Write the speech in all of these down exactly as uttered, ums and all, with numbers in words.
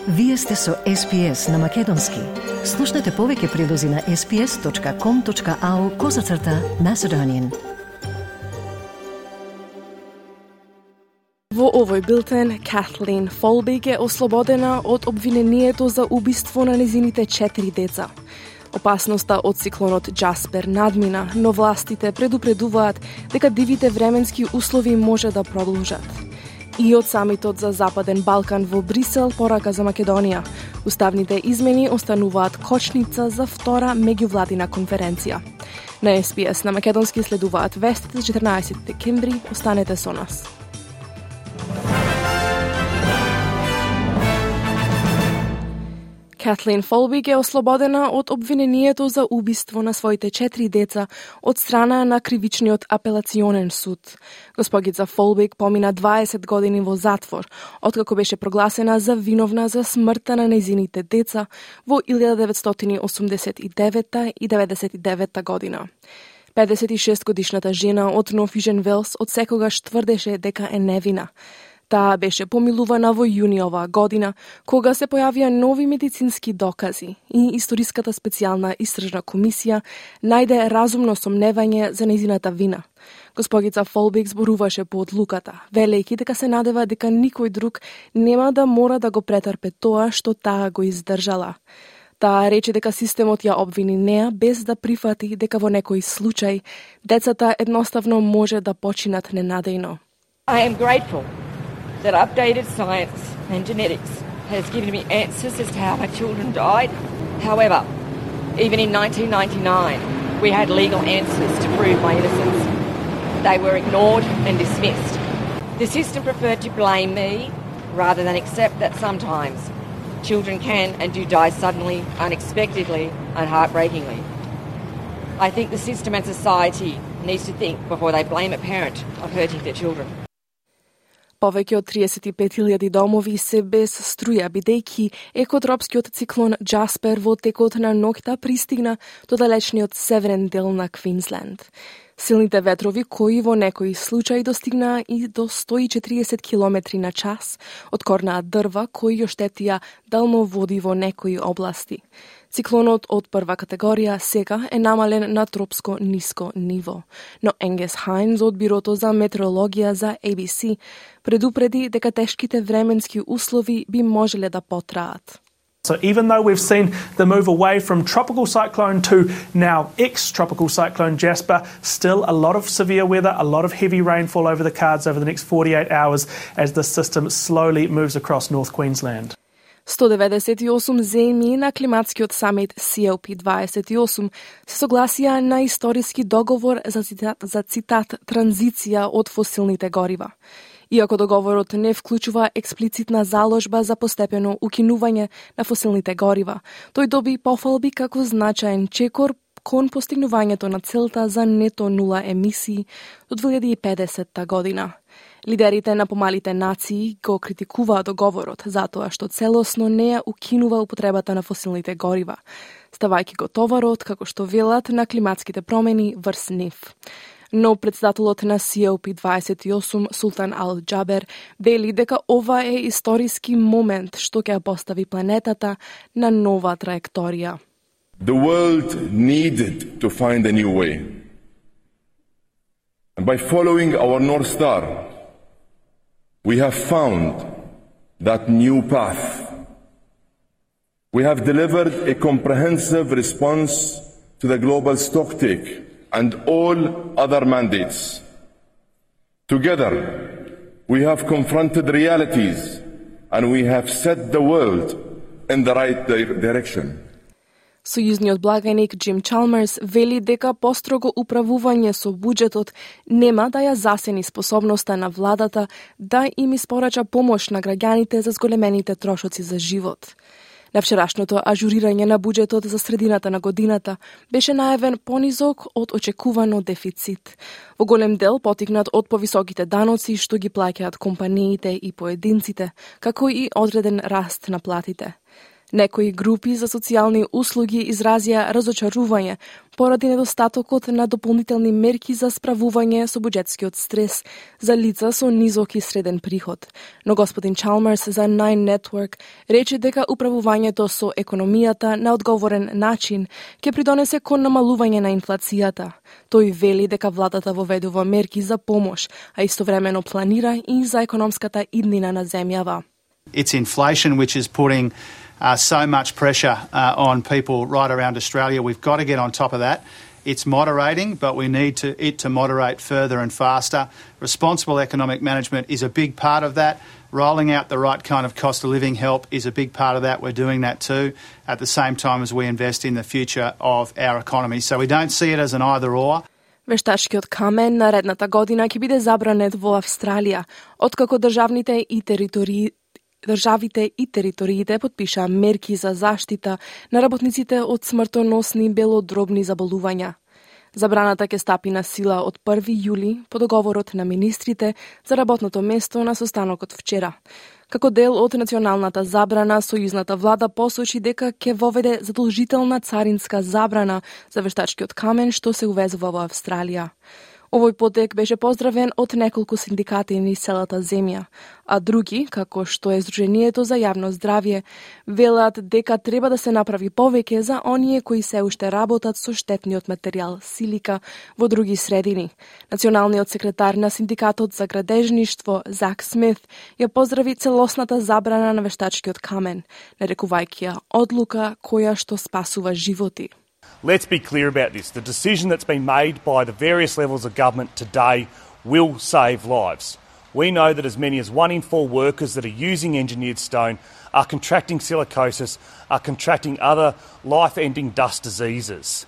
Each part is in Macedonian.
Вие сте со Ес Пи Ес на Македонски. Слушнете повеќе прилози на ес пи ес точка ком точка ау козацрта Macedonian. Во овој билтен, Катлин Фолбиг е ослободена од обвинението за убиство на незините четири деца. Опасноста од циклонот Джаспер надмина, но властите предупредуваат дека дивите временски услови може да продолжат. И од самитот за Западен Балкан во Брисел порака за Македонија. Уставните измени остануваат кочница за втора меѓувладина конференција. На Ес Пи Ес на Македонски следуваат вестите за четрнаесети декември. Останете со нас. Катлин Фолбиг е ослободена од обвинението за убиство на своите четири деца од страна на кривичниот апелационен суд. Госпогица Фолбиг помина дваесет години во затвор, откако беше прогласена за виновна за смртта на нејзините деца во илјада деветстотини осумдесет и девета и деветдесет и девета година. педесет и шест годишната жена од Нов Велс од секогаш тврдеше дека е невина. Таа беше помилувана во јуни оваа година, кога се појавија нови медицински докази и Историската специјална истражна комисија најде разумно сомневање за нејзината вина. Госпогица Фолбиг зборуваше по одлуката, велејќи дека се надева дека никој друг нема да мора да го претрпе тоа што таа го издржала. Таа рече дека системот ја обвини неа без да прифати дека во некој случај децата едноставно може да починат ненадејно. I am grateful that updated science and genetics has given me answers as to how my children died. However, even in nineteen ninety-nine, we had legal answers to prove my innocence. They were ignored and dismissed. The system preferred to blame me rather than accept that sometimes children can and do die suddenly, unexpectedly, and heartbreakingly. I think the system and society needs to think before they blame a parent of hurting their children. Повеќе од триесет и пет илјади домови се без струја, бидејќи екотропскиот циклон Джаспер во текот на ноќта пристигна до далечниот северен дел на Квинсленд. Силните ветрови, кои во некои случаи достигнаа и до сто и четириесет километри на час, откорнаа дрва кои ја штетија далноводи во некои области. Циклонот од прва категорија сега е намален на тропско ниско ниво, но Енгес Хајнс од Бирото за метеорологија за Ей Би Си предупреди дека тешките временски услови би можеле да потраат. So even though we've seen the move away from tropical cyclone to now ex-tropical cyclone Jasper, still a lot of severe weather, a lot of heavy rainfall over the cards over the next forty-eight hours as the system slowly moves across North Queensland. сто деветдесет и осум земји на климатскиот самит Си Ел Пи дваесет и осум се согласија на историски договор за цитат, за цитат транзиција од фосилните горива. Иако договорот не вклучува експлицитна заложба за постепено укинување на фосилните горива, тој доби пофалби како значаен чекор кон постигнувањето на целта за нето нула емисии до две илјади и педесета година. Лидерите на помалите нации го критикуваа договорот затоа што целосно не ја укинува употребата на фосилните горива, ставајќи го товарот, како што велат, на климатските промени врз нив. Но председателот на Си Ел Пи дваесет и осум, Султан Ал Џабер, вели дека ова е историски момент што ќе постави планетата на нова траекторија. The world needed to find a new way. And by following our North Star, we have found that new path. We have delivered a comprehensive response to the global stocktake and all other mandates. Together, we have confronted realities and we have set the world in the right di- direction. Сојузниот благаник Џим Чалмерс вели дека построго управување со буџетот нема да ја засени способноста на владата да им испорача помош на граѓаните за зголемените трошоци за живот. На вчерашното ажурирање на буџетот за средината на годината беше најавен понизок од очекувано дефицит. Во голем дел потикнат од повисоките даноци што ги плаќаат компаниите и поединците, како и одреден раст на платите. Некои групи за социјални услуги изразија разочарување поради недостатокот на дополнителни мерки за справување со буџетскиот стрес за лица со низок и среден приход. Но господин Чалмерс за Nine Network рече дека управувањето со економијата на одговорен начин ќе придонесе кон намалување на инфлацијата. Тој вели дека владата воведува мерки за помош, а истовремено планира и за економската иднина на земјава. It's inflation which is putting uh, so much pressure uh, on people right around Australia. We've got to get on top of that. It's moderating, but we need to, it to moderate further and faster. Responsible economic management is a big part of that. Rolling out the right kind of cost of living help is a big part of that. We're doing that too, at the same time as we invest in the future of our economy. So we don't see it as an either or. Вештачкиот камен наредната година ќе биде забранет во Австралија, откако државните и територии Државите и териториите подпишаа мерки за заштита на работниците од смртоносни белодробни заболувања. Забраната ќе стапи на сила од први јули по договорот на министрите за работното место на состанокот вчера. Како дел од националната забрана, сојузната влада посочи дека ќе воведе задолжителна царинска забрана за вештачкиот камен што се увезува во Австралија. Овој потек беше поздравен од неколку синдикати низ целата земја, а други, како што е Сдруженијето за јавно здравје, велат дека треба да се направи повеќе за оние кои се уште работат со штетниот материјал силика во други средини. Националниот секретар на синдикатот за градежништво Зак Смит ја поздрави целосната забрана на вештачкиот камен, нарекувајќи ја одлука која што спасува животи. Let's be clear about this. The decision that's been made by the various levels of government today will save lives. We know that as many as one in four workers that are using engineered stone are contracting silicosis, are contracting other life-ending dust diseases.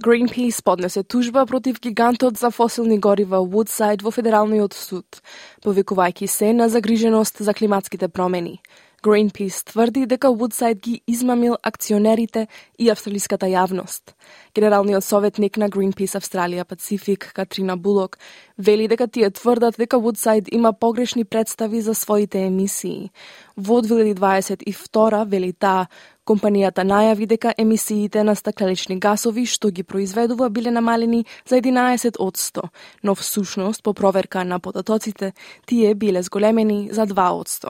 Greenpeace поднесе тужба против гигантот за фосилни горива Woodside во Федералниот суд, повикувајќи се на загриженост за климатските промени. Greenpeace тврди дека Woodside ги измамил акционерите и австралиската јавност. Генералниот советник на Greenpeace Австралија Пацифик, Катрина Булок, вели дека тие тврдат дека Woodside има погрешни представи за своите емисии. Во две илјади дваесет и втора, вели таа, компанијата најави дека емисиите на стакленични гасови што ги произведува биле намалени за единаесет одсто, но всушност по проверка на податоците тие биле зголемени за два одсто.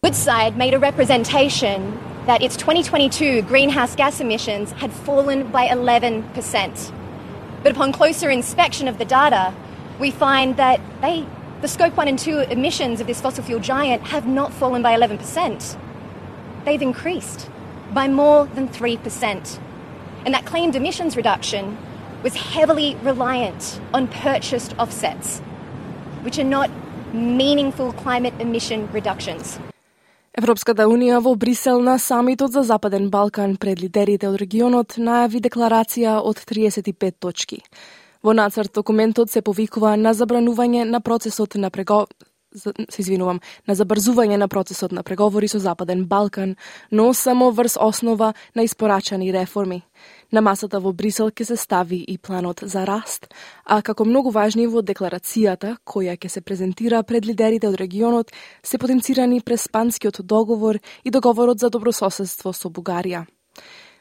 Woodside made a representation that its twenty twenty-two greenhouse gas emissions had fallen by eleven percent. But upon closer inspection of the data, we find that they, the scope one and two emissions of this fossil fuel giant have not fallen by eleven percent. They've increased by more than three percent. And that claimed emissions reduction was heavily reliant on purchased offsets, which are not meaningful climate emission reductions. Европската Унија во Брисел на самитот за Западен Балкан пред лидерите од регионот најави декларација од триесет и пет точки. Во нацрт документот се повикува на забранување на процесот на прего... се извинувам, на забрзување на процесот на преговори со Западен Балкан, но само врз основа на испорачани реформи. На масата во Брисел ќе се стави и планот за раст, а како многу важни во декларацијата, која ќе се презентира пред лидерите од регионот, се потенцирани Преспанскиот договор и договорот за добрососедство со Бугарија.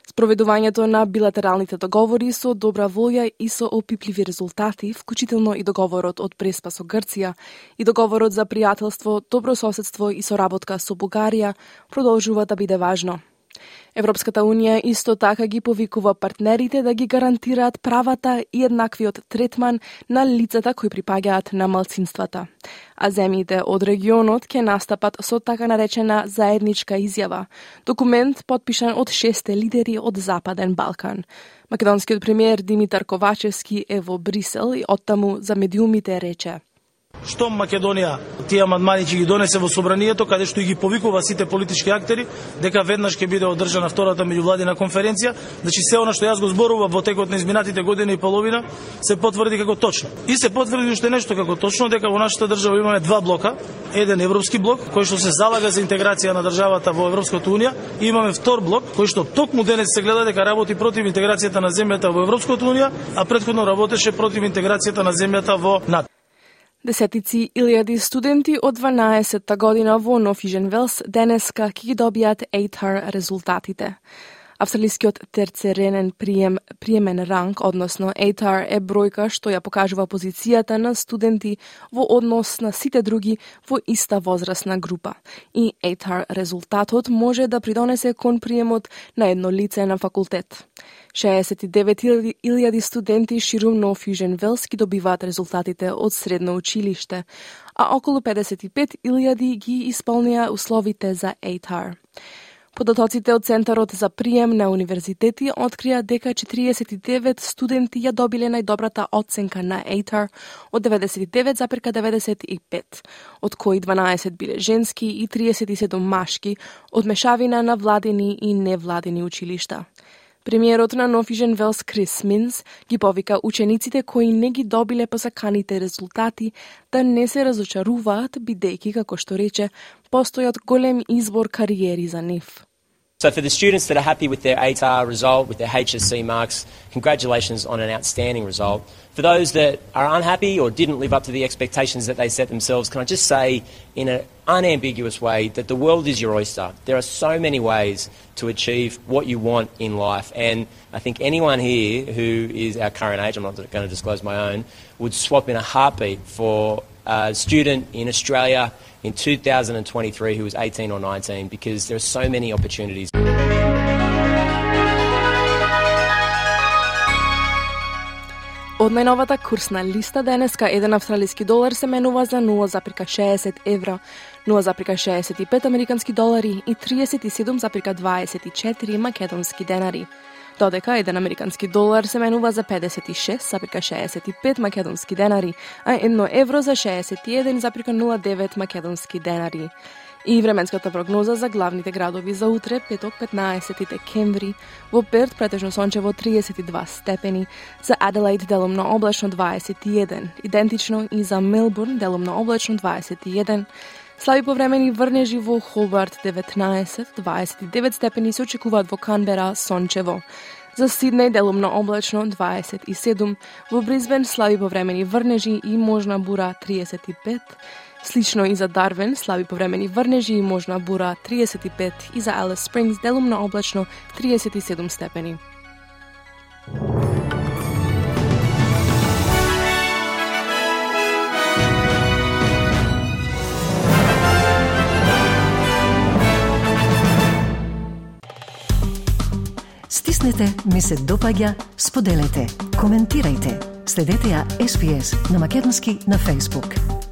Спроведувањето на билатералните договори со добра волја и со опипливи резултати, вклучително и договорот од Преспа со Грција и договорот за пријателство, добрососедство и соработка со Бугарија, продолжува да биде важно. Европската Унија исто така ги повикува партнерите да ги гарантираат правата и еднаквиот третман на лицата кои припаѓаат на малцинствата. А земјите од регионот ќе настапат со така наречена заедничка изјава, документ подпишан од шесте лидери од Западен Балкан. Македонскиот премиер Димитар Ковачевски е во Брисел и оттаму за медиумите рече: Што Македонија тие амандмани ќе ги донесе во собранието, каде што ги повикува сите политички актери, дека веднаш ќе биде одржана втората меѓувладина конференција, значи се она што јас го зборував во текот на изминатите година и половина се потврди како точно. И се потврди уште нешто како точно, дека во нашата држава имаме два блока, еден европски блок кој што се залага за интеграција на државата во Европската унија, и имаме втор блок кој што токму денес се гледа дека работи против интеграцијата на земјата во Европската унија, а претходно работеше против интеграцијата на земјата во НАТО. Десетици илјади студенти од дванаесетта година во Norwegian Wells денеска ќе ги добијат A T A R резултатите. Австралискиот терцеренен прием, приемен ранг, односно A T A R, е бројка што ја покажува позицијата на студенти во однос на сите други во иста возрастна група. И A T A R резултатот може да придонесе кон приемот на едно лице на факултет. шеесет и девет илјади студенти ширум Norwegian Wells ги добиваат резултатите од средно училиште, а околу педесет и пет илјади ги исполнија условите за A T A R. Податоците од Центарот за прием на универзитети открија дека четириесет и девет студенти ја добиле најдобрата оценка на A T A R од деветдесет и девет запирка деветдесет и пет, од кои дванаесет биле женски и триесет и седум машки, од мешавина на владени и невладени училишта. Премиерот на Norwegian Wells Крис Минс ги повика учениците кои не ги добиле посаканите резултати да не се разочаруваат, бидејќи, како што рече, постојат голем избор кариери за нив. So for the students that are happy with their A T A R result, with their H S C marks, congratulations on an outstanding result. For those that are unhappy or didn't live up to the expectations that they set themselves, can I just say in an unambiguous way that the world is your oyster. There are so many ways to achieve what you want in life, and I think anyone here who is our current age, I'm not going to disclose my own, would swap in a heartbeat for a student in Australia in two thousand twenty-three who was eighteen or nineteen, because there are so many opportunities. Од најновата курсна листа денеска еден австралиски долар се менува за нула запирка шеесет евра, нула запирка шеесет и пет американски долари и триесет и седум запирка дваесет и четири македонски денари. Додека еден американски долар се менува за педесет и шест запирка шеесет и пет македонски денари, а едно евро за шеесет и еден запирка нула девет македонски денари. И временската прогноза за главните градови за утре, петок петнаесети декември, во Перт претежно сончево триесет и два степени, за Аделаид делумно облачно дваесет и еден, идентично и за Мелбурн делумно облачно дваесет и еден, слаби повремени врнежи во Хобарт деветнаесет, дваесет и девет степени се очекуваат во Канбера сончево. За Сиднеј делумно облачно дваесет и седум, во Брисбен слаби повремени врнежи и можна бура триесет и пет, слично и за Дарвин, слаби повремени врнежи и можна бура триесет и пет, и за Алис Спрингс делумно облачно триесет и седум степени. Стиснете, ми се допаѓа, споделете, коментирајте. Следете ја С Б С на македонски на Facebook.